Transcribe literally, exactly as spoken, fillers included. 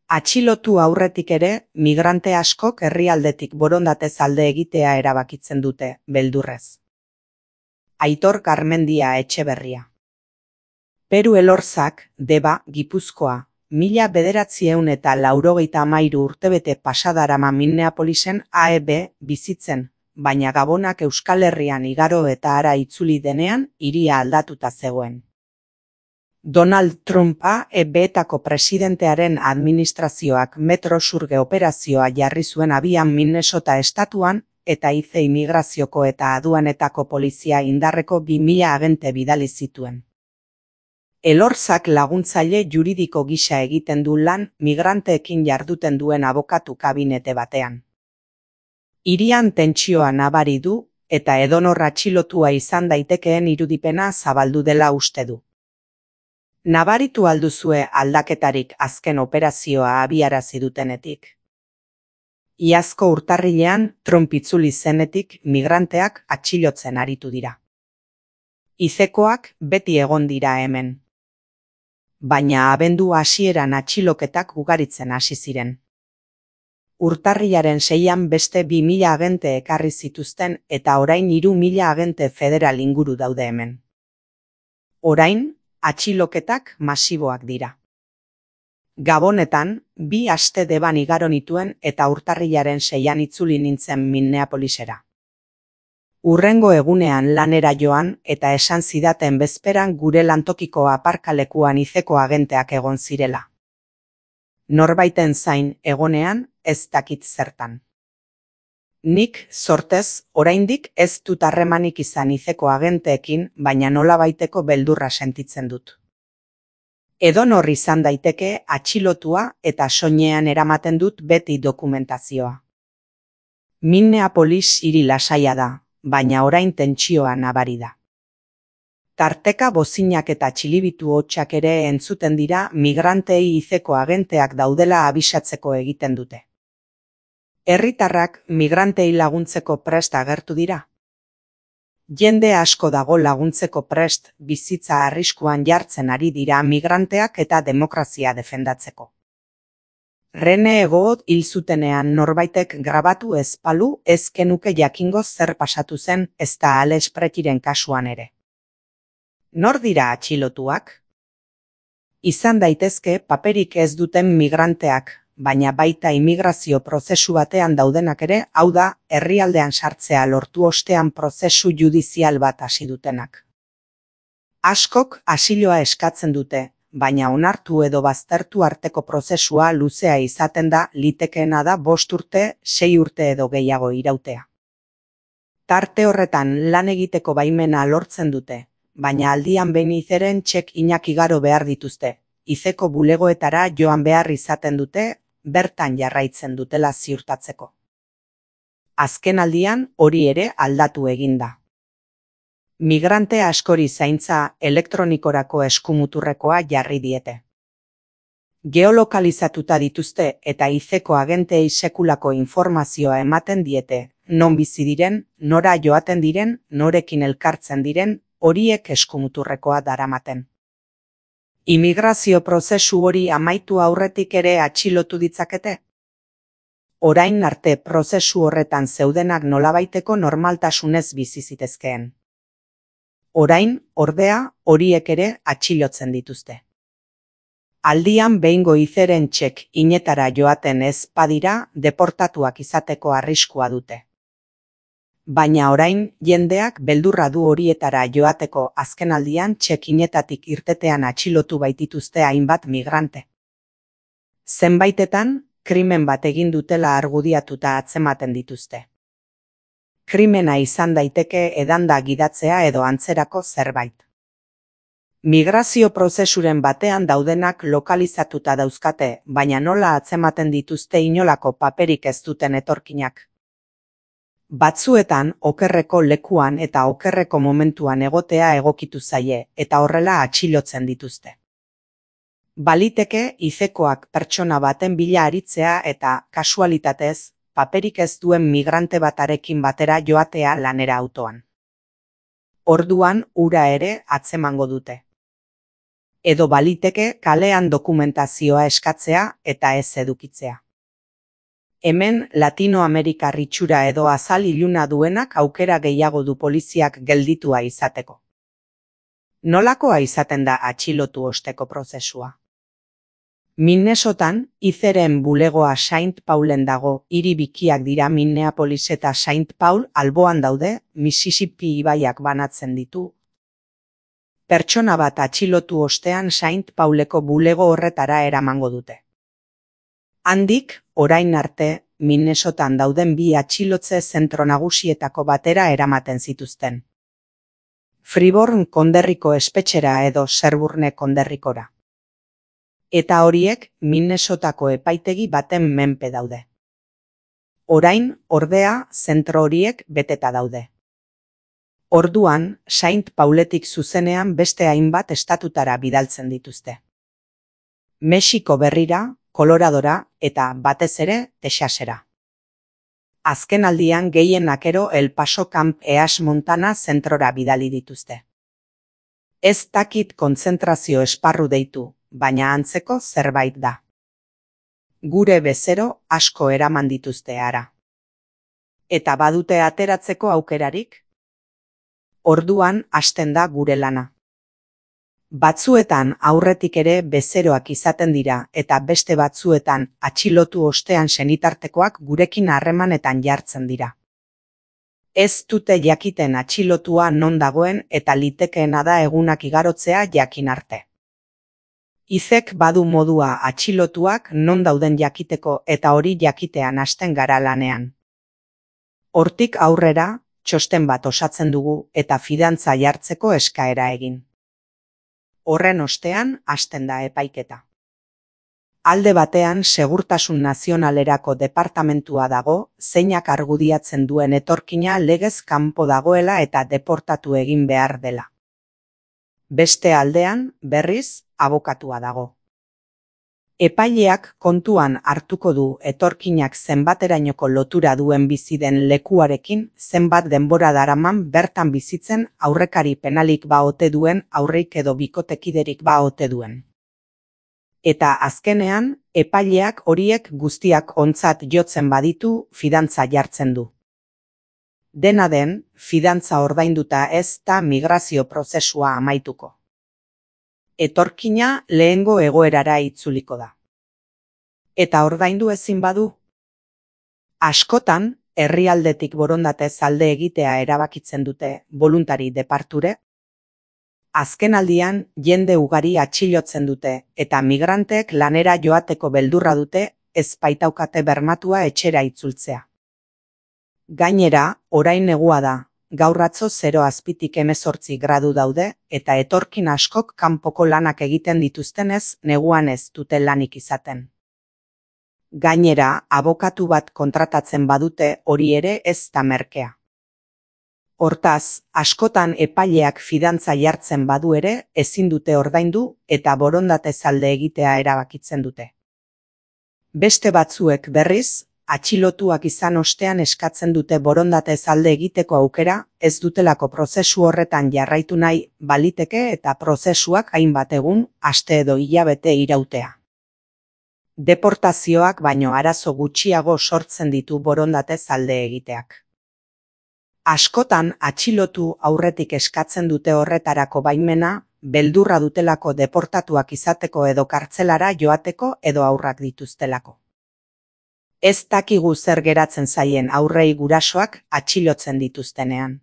Atxilotu aurretik ere, migrante askok herrialdetik borondatez alde egitea erabakitzen dute, beldurrez. Aitor Garmendia Etxeberria. Peru Elorzak, Deba, Gipuzkoa, mila bederatziehun eta laurogeita hamairu urtebete pasadarama Minneapolisen A E B bizitzen, baina Gabonak Euskal Herrian igaro eta hara itzuli denean, hiria aldatuta zegoen. Donald Trump A E B-etako presidentearen administrazioak Metro Surge operazioa jarri zuen abian Minnesota estatuan, eta ize imigrazioko eta aduanetako polizia indarreko bi mila agente bidali zituen. Elorzak laguntzaile juridiko gisa egiten du lan migranteekin jarduten duen abokatu kabinete batean. Hirian tentsioa nabari du, eta edonor atxilotua izan daitekeen irudipena zabaldu dela uste du. Nabaritu alduzue aldaketarik azken operazioa abiarazi dutenetik. Iazko urtarrilean Trump itzuli zenetik migranteak atxilotzen aritu dira. Izekoak beti egon dira hemen. Baina abendu hasieran atxiloketak ugaritzen hasi ziren. Urtarrilaren seian beste bi mila agente ekarri zituzten eta orain hiru mila agente federal inguru daude hemen. Orain, atxiloketak masiboak dira. Gabonetan, bi aste Deban igaro nituen eta urtarrilaren seian itzuli nintzen Minneapolisera. Urrengo egunean lanera joan eta esan zidaten bezperan gure lantokiko aparkalekuan izeko agenteak egon zirela. Norbaiten zain egonean ez dakit zertan. Nik, sortez, oraindik ez dut harremanik izan izeko agenteekin, baina nolabaiteko beldurra sentitzen dut. Edonor izan daiteke atxilotua eta soinean eramaten dut beti dokumentazioa. Minneapolis hiri lasaia da, baina orain tentsioa nabari da. Tarteka bozinak eta txilibitu hotsak ere entzuten dira migrantei izeko agenteak daudela abisatzeko egiten dute. Herritarrak migrantei laguntzeko prest agertu dira. Jende asko dago laguntzeko prest bizitza arriskuan jartzen ari dira migranteak eta demokrazia defendatzeko. Rene Egot hil zutenean norbaitek grabatu ez balu ez genuke jakingo zer pasatu zen ezta Alex Pretiren kasuan ere. Nor dira atxilotuak? Izan daitezke paperik ez duten migranteak, baina baita immigrazio prozesu batean daudenak ere, hau da, herrialdean sartzea lortu ostean prozesu judizial bat hasi dutenak. Askok asiloa eskatzen dute, baina onartu edo baztertu arteko prozesua luzea izaten da, litekeena da bost urte, sei urte edo gehiago irautea. Tarte horretan lan egiteko baimena lortzen dute, baina aldian behin izeren txek inak igaro behar dituzte, izeko bulegoetara joan behar izaten dute, bertan jarraitzen dutela ziurtatzeko. Azken aldian hori ere aldatu eginda. Migrante askori zaintza elektronikorako eskumuturrekoa jarri diete. Geolokalizatuta dituzte eta izeko agentei sekulako informazioa ematen diete, non bizi diren, nora joaten diren, norekin elkartzen diren, horiek eskumuturrekoa daramaten. Immigrazio prozesu hori amaitu aurretik ere atxilotu ditzakete? Orain arte prozesu horretan zeudenak nolabaiteko normaltasunez bizi zitezkeen. Orain, ordea, horiek ere atxilotzen dituzte. Aldian behingo izeren txek inetara joaten ez badira deportatuak izateko arriskua dute. Baina orain, jendeak beldurra du horietara joateko azkenaldian txekinetatik irtetean atxilotu baitituzte hainbat migrante. Zenbaitetan, krimen bat egin dutela argudiatuta atzematen dituzte. Krimena izan daiteke edanda gidatzea edo antzerako zerbait. Migrazio prozesuren batean daudenak lokalizatuta dauzkate, baina nola atzematen dituzte inolako paperik ez duten etorkinak. Batzuetan okerreko lekuan eta okerreko momentuan egotea egokitu zaie eta horrela atxilotzen dituzte. Baliteke izekoak pertsona baten bila aritzea eta kasualitatez paperik ez duen migrante batarekin batera joatea lanera autoan. Orduan ura ere atzemango dute. edo baliteke kalean dokumentazioa eskatzea eta ez edukitzea. Hemen Latinoamerikar itxura edo azal iluna duenak aukera gehiago du poliziak gelditua izateko. Nolakoa izaten da atxilotu osteko prozesua? Minnesotan, Izeren bulegoa Saint Paulen dago, hiri bikiak dira Minneapolis eta Saint Paul alboan daude, Mississippi ibaiak banatzen ditu. Pertsona bat atxilotu ostean Saint Pauleko bulego horretara eramango dute. Handik, orain arte, Minnesotan dauden bi atxilotze zentro nagusietako batera eramaten zituzten. Freeborn konderriko espetxera edo Sherburne konderrikora. Eta horiek Minnesotako epaitegi baten menpe daude. Orain, ordea, zentro horiek beteta daude. Orduan, Saint Pauletik zuzenean beste hainbat estatutara bidaltzen dituzte. Mexiko berrira, Koloradora eta batez ere Texasera. Azken aldian gehien akero El Paso Camp Eas Montana zentrora bidali dituzte. Ez dakit kontzentrazio esparru deitu, baina antzeko zerbait da. Gure bezero asko eraman dituzte hara. Eta badute ateratzeko aukerarik? Orduan hasten da gure lana. Batzuetan aurretik ere bezeroak izaten dira eta beste batzuetan atxilotu ostean senitartekoak gurekin harremanetan jartzen dira. Ez dute jakiten atxilotua non dagoen eta litekeena da egunak igarotzea jakin arte. Izek badu modua atxilotuak non dauden jakiteko eta hori jakitean hasten gara lanean. Hortik aurrera, txosten bat osatzen dugu eta fidantza jartzeko eskaera egin. Horren ostean hasten da epaiketa. Alde batean Segurtasun Nazionalerako departamentua dago, zeinak argudiatzen duen etorkina legez kanpo dagoela eta deportatu egin behar dela. Beste aldean, berriz, abokatua dago. Epaileak kontuan hartuko du etorkinak zenbaterainoko lotura duen bizi den lekuarekin zenbat denbora daraman bertan bizitzen aurrekari penalik ba ote duen aurreik edo bikotekiderik ba ote duen. Eta azkenean, epaileak horiek guztiak ontzat jotzen baditu fidantza jartzen du. Dena den, fidantza ordainduta ez da migrazio prozesua amaituko. Etorkina lehengo egoerara itzuliko da. Eta ordaindu ezin badu? Askotan, herrialdetik borondatez alde egitea erabakitzen dute voluntari departure. Azken aldian, jende ugari atxilotzen dute eta migranteek lanera joateko beldurra dute ez baitaukate bermatua etxera itzultzea. Gainera, orain negua da. Gaur atzo zero azpitik hemezortzi gradu daude eta etorkin askok kanpoko lanak egiten dituztenez neguan ez dute lanik izaten. Gainera, abokatu bat kontratatzen badute hori ere ez da merkea. Hortaz, askotan epaileak fidantza jartzen badu ere ezin dute ordaindu eta borondatez alde egitea erabakitzen dute. Beste batzuek berriz, atxilotuak izan ostean eskatzen dute borondatez alde egiteko aukera, ez dutelako prozesu horretan jarraitu nahi baliteke eta prozesuak hainbat egun, aste edo hilabete irautea. Deportazioak baino arazo gutxiago sortzen ditu borondatez alde egiteak. Askotan atxilotu aurretik eskatzen dute horretarako baimena, beldurra dutelako deportatuak izateko edo kartzelara joateko edo haurrak dituztelako. Ez dakigu zer geratzen zaien aurrei gurasoak atxilotzen dituztenean.